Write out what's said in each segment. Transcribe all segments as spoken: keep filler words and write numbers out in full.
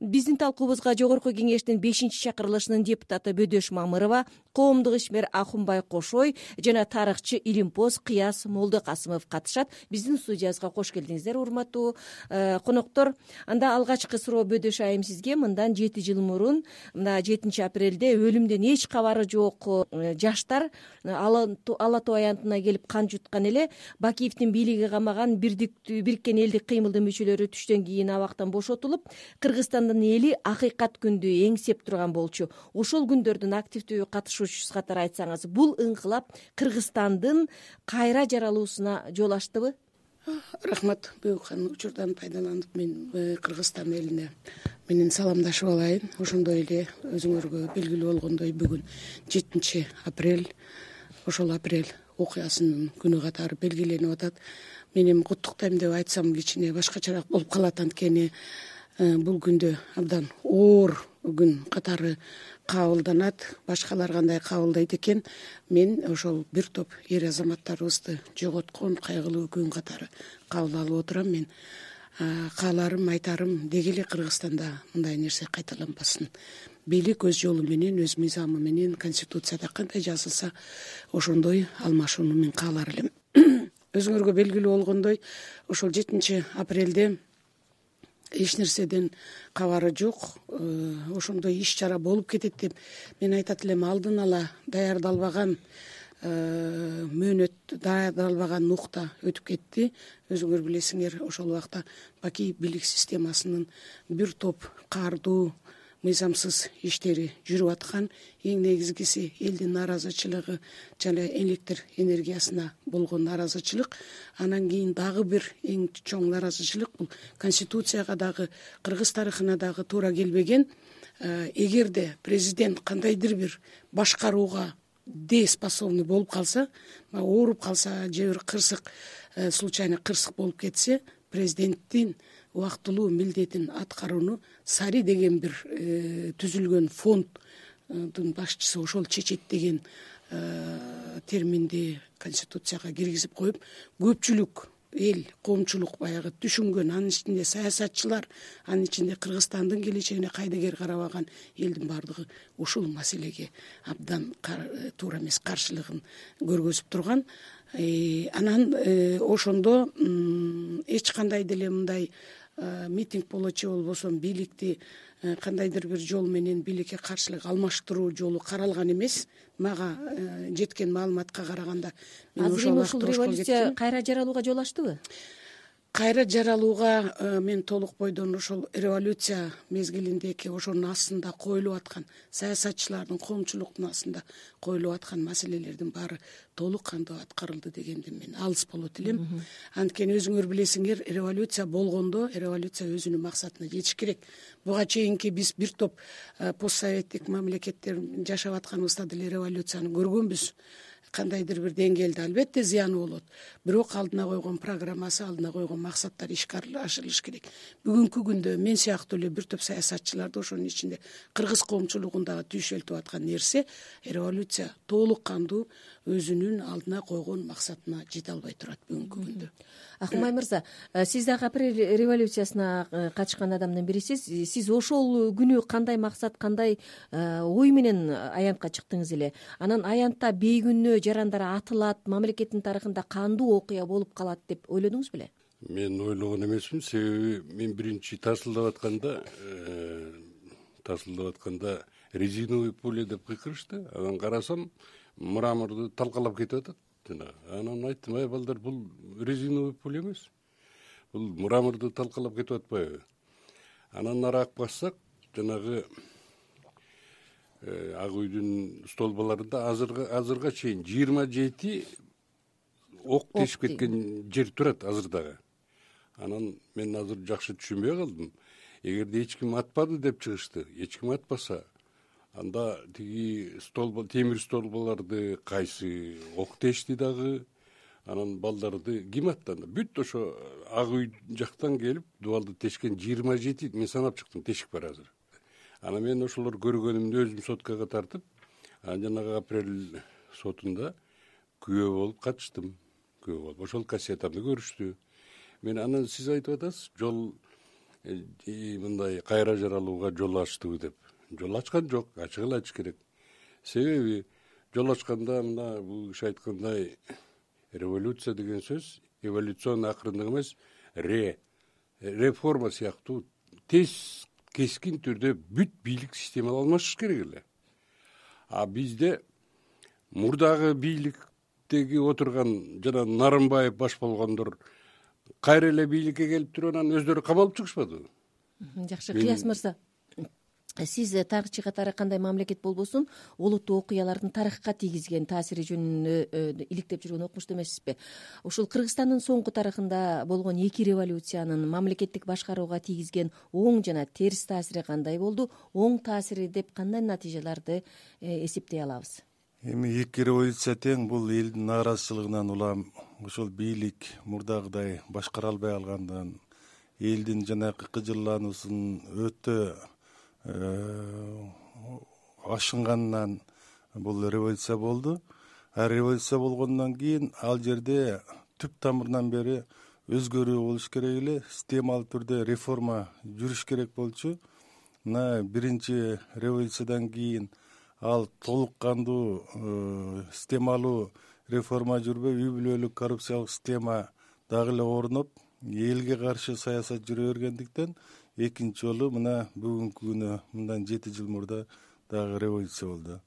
биздин талкуубузга Жогорку Кеңештин бешинчи чакырылышынын депутаты Бөдөш Мамырова, коомдук ишмер Акунбай Кошой жана тарыхчы Илимпоз Кыяз Молдокасымов катышат. Биздин студиябызга кош келдиңиздер, урматтуу коноктор. Анда алгачкы суроо Бөдөш айым сизге. Мындан жети жыл мурун, мына жетинчи апрелде өлүмдөн эч кабары жок жаштар Ала Тоо аянтына келип кан жуткан эле. Бакиевдин бийлиги камаган Бириккен элдик кыймылдын мүчөлөрү түштөн кийин абактан бошотулуп, Кыргызстандын эли акыйкат күндү эңсеп турган болчу. Ошол күндөрдүн активдүү катышуучусу катары айтсаңыз, бул ыңкылап Кыргызстандын кайра жаралуусуна жол ачтыбы? Рахмат, Бөкхан. Учурдан пайдаланып мен Кыргызстан элине менен саламдашып алайын. Ошондой эле өзүңөргө белгилүү болгондой бүгүн жетинчи апрель, ошол апрель окуясынын күнү катары белгиленип атат. Мен эми куттуктайм деп айтсам кичине башкачараак болуп калат, анткени бул күндө абдан оор күн катары кабылданат. Башкалар кандай кабылдайт экен, мен ошол бир топ эр азаматтарыбызды жоготкон кайгылуу күн катары кабыл алып отурам. Мен кааларым, айтарым, деги эле Кыргызстанда мындай нерсе кайталанбасын. Бийлик өз жолу менен, өз мыйзамы менен, конституцияда кандай жазылса ошондой алмашууну мен каалар элем. Өзүңөргө белгилүү болгондой, ошол жетинчи апрелде эч нерседен кабары жок, ошондой иш чара болуп кетет деп мен айтат элем. Алдын ала даярдалбаган мөөнөт, даярдалбаган нукта өтүп кетти. Өзүңөр билесиңер, ошол убакта Бакиев бийлик системасынын бир топ каардуу, мыйзамсыз иштери жүрүп аткан. Эң негизгиси элдин нааразычылыгы жана электр энергиясына болгон нааразычылык. Анан кийин дагы бир эң чоң нааразычылык бул конституцияга дагы, кыргыз тарыхына дагы туура келбеген. Эгерде президент кандайдыр бир башкарууга дееспособный болуп калса, ооруп калса же бир кырсык, случайно кырсык болуп кетсе, президенттин убактылуу милдетин аткарууну Сари деген бир түзүлгөн фонддун башчысы ошол чечет деген терминди конституцияга киргизип коюп, көпчүлүк эл, коомчулук баягы түшүнгөн, анын ичинде саясатчылар, анын ичинде Кыргызстандын келечегине кайдыгер карабаган элдин бардыгы ушул маселеге абдан туура эмес каршылыгын көргөзүп турган. Анан ошондо эч кандай деле мындай митинг болочу болбосо бийликти кандайдыр бир жол менен бийликке каршылык алмаштыруу жолу каралган эмес. Мага жеткен маалыматка караганда мен ошол ушул революция кайра жаралууга жол ачтыбы? Кайра жаралууга мен толук бойдон ошол революция мезгилиндеги ошонун астында коюлуп аткан саясатчылардын, коомчулуктун астында коюлуп аткан маселелердин баары толук кандуу аткарылды дегенден мен алыс болот элем. Анткени өзүңөр билесиңер, революция болгондо революция өзүнүн максатына жетиш керек. Буга чейинки биз бир топ постсоветтик мамлекеттер жашап атканыбызда деле революцияны көргөнбүз. Кандайдыр бир деңгээлде албетте зыяны болот, бирок алдына койгон программасы, алдына койгон максаттар ишке ашырылыш керек. Бүгүнкү күндө мен сыяктуу эле бир топ саясатчыларды, ошонун ичинде кыргыз коомчулугундагы түйшөлтүп аткан нерсе, революция толук кандуу өзүнүн алдына койгон максатына жете албай турат бүгүнкү күндө. Акунбай мырза, сиз дагы апрель революциясына катышкан адамдын бирисиз. Сиз ошол күнү кандай максат, кандай ой менен аянтка чыктыңыз эле? Анан аянтта бейкүнөө жарандар атылат, мамлекеттин тарыхында кандуу окуя болуп калат деп ойлодуңуз беле? Мен ойлогон эмесмин, себеби мен биринчи тасылдап атканда тасылдап атканда резиновый пуля деп кыйкырышты. Анан карасам, мраморду талкалап кетип атат. Анан айттым, ай балдар, бул резиновый пуля эмес, бул мраморду талкалап кетип атпайбы? Анан нараак бассак, жанагы ак үйдүн столбаларында азырга азырга чейин жыйырма жети ок тешип кеткен жер турат азыр дагы. Анан мен азыр жакшы түшүнбөй калдым. Эгерде эч ким атпады деп чыгышты, эч ким атпаса, анда тиги столба, темир столбаларды кайсы ок тешти дагы, анан балдарды ким аттанды? Бүт ошо ак үй жактан келип дубалды тешкен жыйырма жети мен санап чыктым, тешик бар азыр. Анан мен ошолор көргөнүмдү өзүм соткага тартып, анан жанагы апрель сотунда күбө болуп катыштым. Күбө болуп ошол кассетамды көрүштү. Мен анан сиз айтып атасыз, жол мындай кайра жаралууга жол ачтыбы деп. Жол ачкан жок, ачык эле айтыш керек. Себеби жол ачканда мына бул киши айткандай революция деген сөз эволюционный акырындык эмес, ре реформа сыяктуу тез кескин түрдө бүт бийлик системалар алмашыш керек эле. А бизде мурдагы бийликтеги отурган жана Нарымбаев баш болгондор кайра эле бийликке келип туруп анан өздөрү камалып чыгышпадыбы? Жакшы, Кыяс мырза, сиз тарыхчы катары кандай мамлекет болбосун олуттуу окуялардын тарыхка тийгизген таасири жөнүндө иликтеп жүргөн окумуштуу эмессизби? Ушул Кыргызстандын соңку тарыхында болгон эки революциянын мамлекеттик башкарууга тийгизген оң жана терс таасири кандай болду? Оң таасири деп кандай натыйжаларды эсептей алабыз? Эми эки революция тең бул элдин нааразычылыгынан улам ошол бийлик мурдагыдай башкара албай калгандан, элдин жанагы кыжырлануусун өтө ашынганынан бул революция болду. А революция болгондон кийин ал жерде түп тамырынан бери өзгөрүү болуш керек эле, системалуу түрдө реформа жүрүш керек болчу. Мына биринчи революциядан кийин ал толук кандуу системалуу реформа жүрбөй, үй бүлөлүк коррупциялык система дагы эле орноп, элге каршы саясат жүрө бергендиктен экинчи жолу мына бүгүнкү күнү мындан жети жыл мурда дагы революция болду.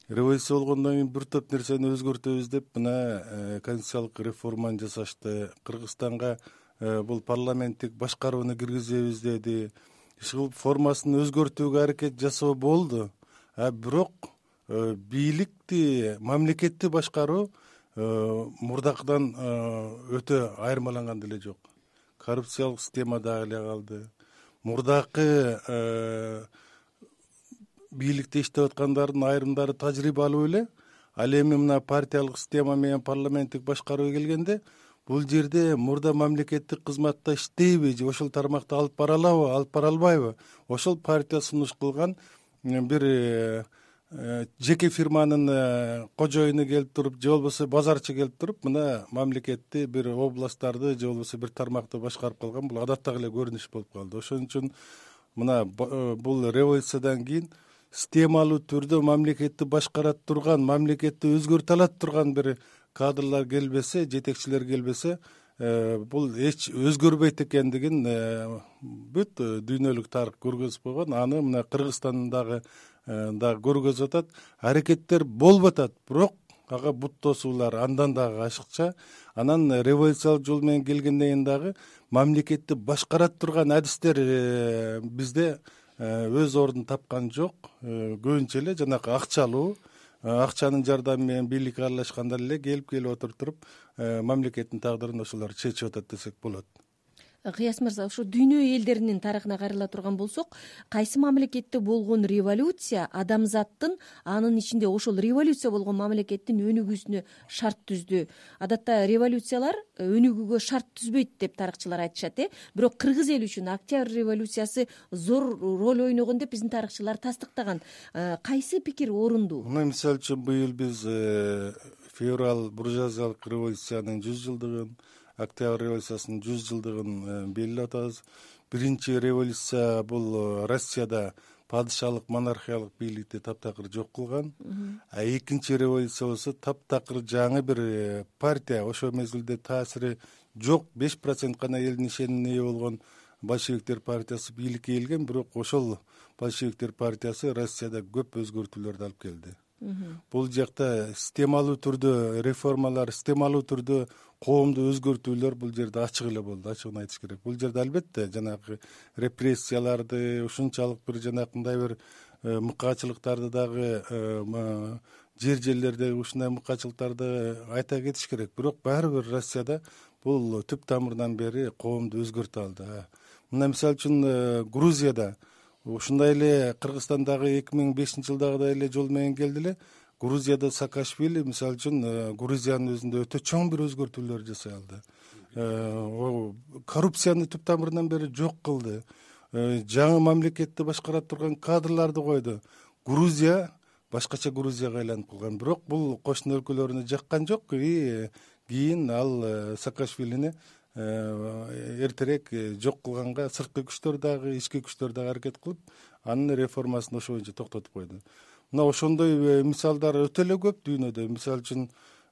Революция болгондон кийин бир топ нерсени өзгөртөбүз деп мына конституциялык реформаны жасашты. Кыргызстанга бул парламенттик башкарууну киргизебиз деди. Ушул формасын өзгөртүүгө аракет жасоо болду. А бирок бийликти, мамлекетти башкаруу мурдакыдан өтө айырмаланган деле жок. Коррупциялык система дагы эле калды. Мурдакы бийликте иштеп аткандардын айрымдары тажрыйбалуу эле. Ал эми мына партиялык система менен парламенттик башкарууга келгенде бул жерде мурда мамлекеттик кызматта иштейби же ошол тармакта алып бара алабы, алып бара албайбы? Ошол партия сунуш кылган бир жеке фирманын кожоюну келип туруп, же болбосо базарчы келип туруп, мына мамлекетти бир областтарды же болбосо бир тармакты башкарып калган, бул адаттагы эле көрүнүш болуп калды. Ошон үчүн мына бул революциядан кийин системалуу түрдө мамлекетти башкара турган, мамлекетти өзгөртө алат турган бир кадрлар келбесе, жетекчилер келбесе, бул эч өзгөрбөйт экендигин бүт дүйнөлүк тарых көргөзүп койгон. Аны мына Кыргызстандагы дагы көргөзүп атат. Аракеттер болуп атат, бирок ага бут тосуулар андан дагы ашыкча. Анан революциялык жол менен келгенден кийин дагы мамлекетти башкара турган адистер бизде өз ордун тапкан жок. Көбүнчө эле жанагы акчалуу, акчанын жардамы менен бийликке аралашкандар эле келип келип отуруп туруп мамлекеттин тагдырын ошолор чечип атат десек болот. Кыяс мырза, ушу дүйнө элдеринин тарыхына кайрыла турган болсок, кайсы мамлекетте болгон революция адамзаттын, анын ичинде ошол революция болгон мамлекеттин өнүгүүсүнө шарт түздү? Адатта революциялар өнүгүүгө шарт түзбөйт деп тарыхчылар айтышат, э? Бирок кыргыз эли үчүн Октябрь революциясы зор роль ойногон деп биздин тарыхчылар тастыктаган. Кайсы пикир орундуу? Мына мисалы үчүн быйыл биз февраль буржуазиялык революциянын жүз жылдыгын, Октябрь революциясынын жүз жылдыгын белгилеп атабыз. Биринчи революция бул Россияда падышалык, монархиялык бийликти таптакыр жок кылган. А экинчи революция болсо таптакыр жаңы бир партия, ошол мезгилде таасири жок, беш процент гана элдин ишенимине ээ болгон большевиктер партиясы бийликке келген, бирок ошол большевиктер партиясы Россияда көп өзгөртүүлөрдү алып келди. Бул жакта системалуу түрдө реформалар, системалуу түрдө коомду өзгөртүүлөр бул жерде ачык эле болду, ачыгын айтыш керек. Бул жерде албетте жанагы репрессияларды, ушунчалык бир жанакындай бир мыкаачылыктарды дагы, жер жерлердеги ушундай мыкаачылыктарды айта кетиш керек. Бирок баары бир Россияда бул түп тамырынан бери коомду өзгөртө алды. Мына мисалы үчүн Грузияда ушундай эле Кыргызстандагы эки миң бешинчи жылдагыдай эле жол менен келди эле. Грузияда Саакашвили мисалы үчүн Грузиянын өзүндө өтө чоң бир өзгөртүүлөр жасай алды. Коррупцияны түп тамырынан бери жок кылды. Жаңы мамлекетти башкара турган кадрларды койду. Грузия башкача Грузияга айланып калган. Бирок бул кошуна өлкөлөрүнө жаккан жок. Кийин ал Саакашвилини эртерээк жок кылганга сырткы күчтөр дагы ички күчтөр дагы аракет кылып анын реформасын ошо боюнча токтотуп койду. Мына ошондой мисалдар өтө эле көп дүйнөдө. Мисалы үчүн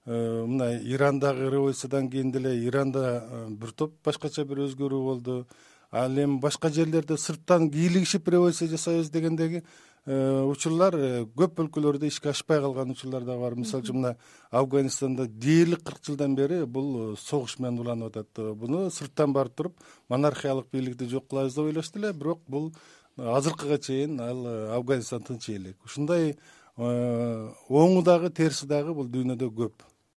мына Ирандагы революциядан кийин деле Иранда бир топ башкача бир өзгөрүү болду. Ал эми башка жерлерде сырттан кийлигишип революция жасайбыз дегендеги учурлар көп өлкөлөрдө ишке ашпай калган учурлар да бар. Мисалы үчүн мына Афганистанда дээрлик кырк жылдан бери бул согуш менен уланып атат. Буну сырттан барып туруп монархиялык бийликти жок кылабыз деп ойлошду эле, бирок бул азыркыга чейин ал Афганистан тынч элек. Ушундай оңу дагы терси дагы бул дүйнөдө көп.